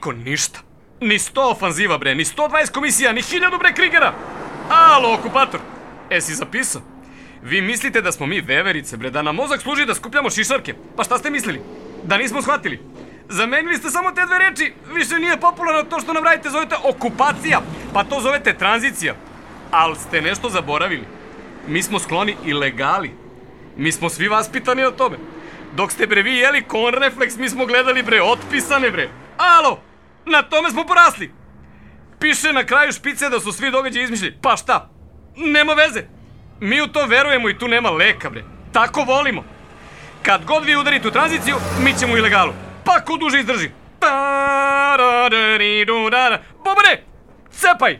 niko ništa. Ni 100 ofanziva, bre, ni 120 komisija, ni 1000, bre, Krigera. Alo, okupator, si zapisao? Vi mislite da smo mi veverice, bre, da nam mozak služi da skupljamo šišarke? Pa šta ste mislili? Da nismo shvatili? Zamenili ste samo te dve reči, više nije popularno to što nam radite, zovete okupacija, pa to zovete tranzicija. Al ste nešto zaboravili. Mi smo skloni ilegali. Mi smo svi vaspitani na tome. Dok ste, bre, vi jeli konrefleks, mi smo gledali, bre, otpisane, bre. Alo, na tome smo porasli. Piše na kraju špice da su svi događaji izmišljeni. Pa šta? Nema veze. Mi u to verujemo i tu nema leka, bre. Tako volimo. Kad god vi udarite u tranziciju, mi ćemo u ilegalu. Pa ko duže izdrži. Bobare, cepaj!